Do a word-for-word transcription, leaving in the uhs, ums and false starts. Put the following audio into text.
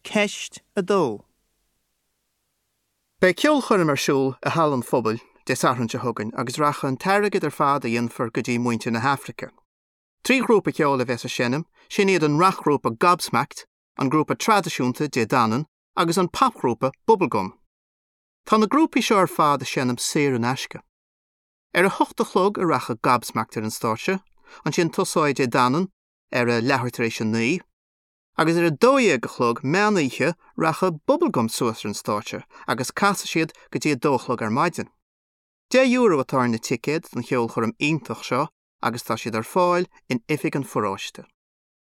Ceist a dó. Beidh ceolchoirm ar siúl i Halla an Phobail Dé Sathairn seo chugainn agus rachaidh an t-airgead ar fad a dhéanfar go dtí muintir na hAfraice. Trí ghrúpa ceoil a bheas ag seinm, sin iad an racghrúpa Gobsmacked, an grúpa traidisiúnta Dé Danann agus an popghrúpa Bubblegum. Tá na grúpaí seo ar fad ag seinm saor in aisce. Ar a hocht a chlog a rachaidh Gobsmacked ar an stáitse, ansin tosóidh Dé Danann ar a leathuair tar éis a naoi, agus ar a dó dhéag a chlog meánoíche rachaidh Bubblegum suas ar an stáitse agus casfaidh siad go dtí a dó a chlog ar maidin. Deich euro atá ar na ticéid don cheolchoirm iontach seo agus tá siad ar fáil in oifig an pharóiste.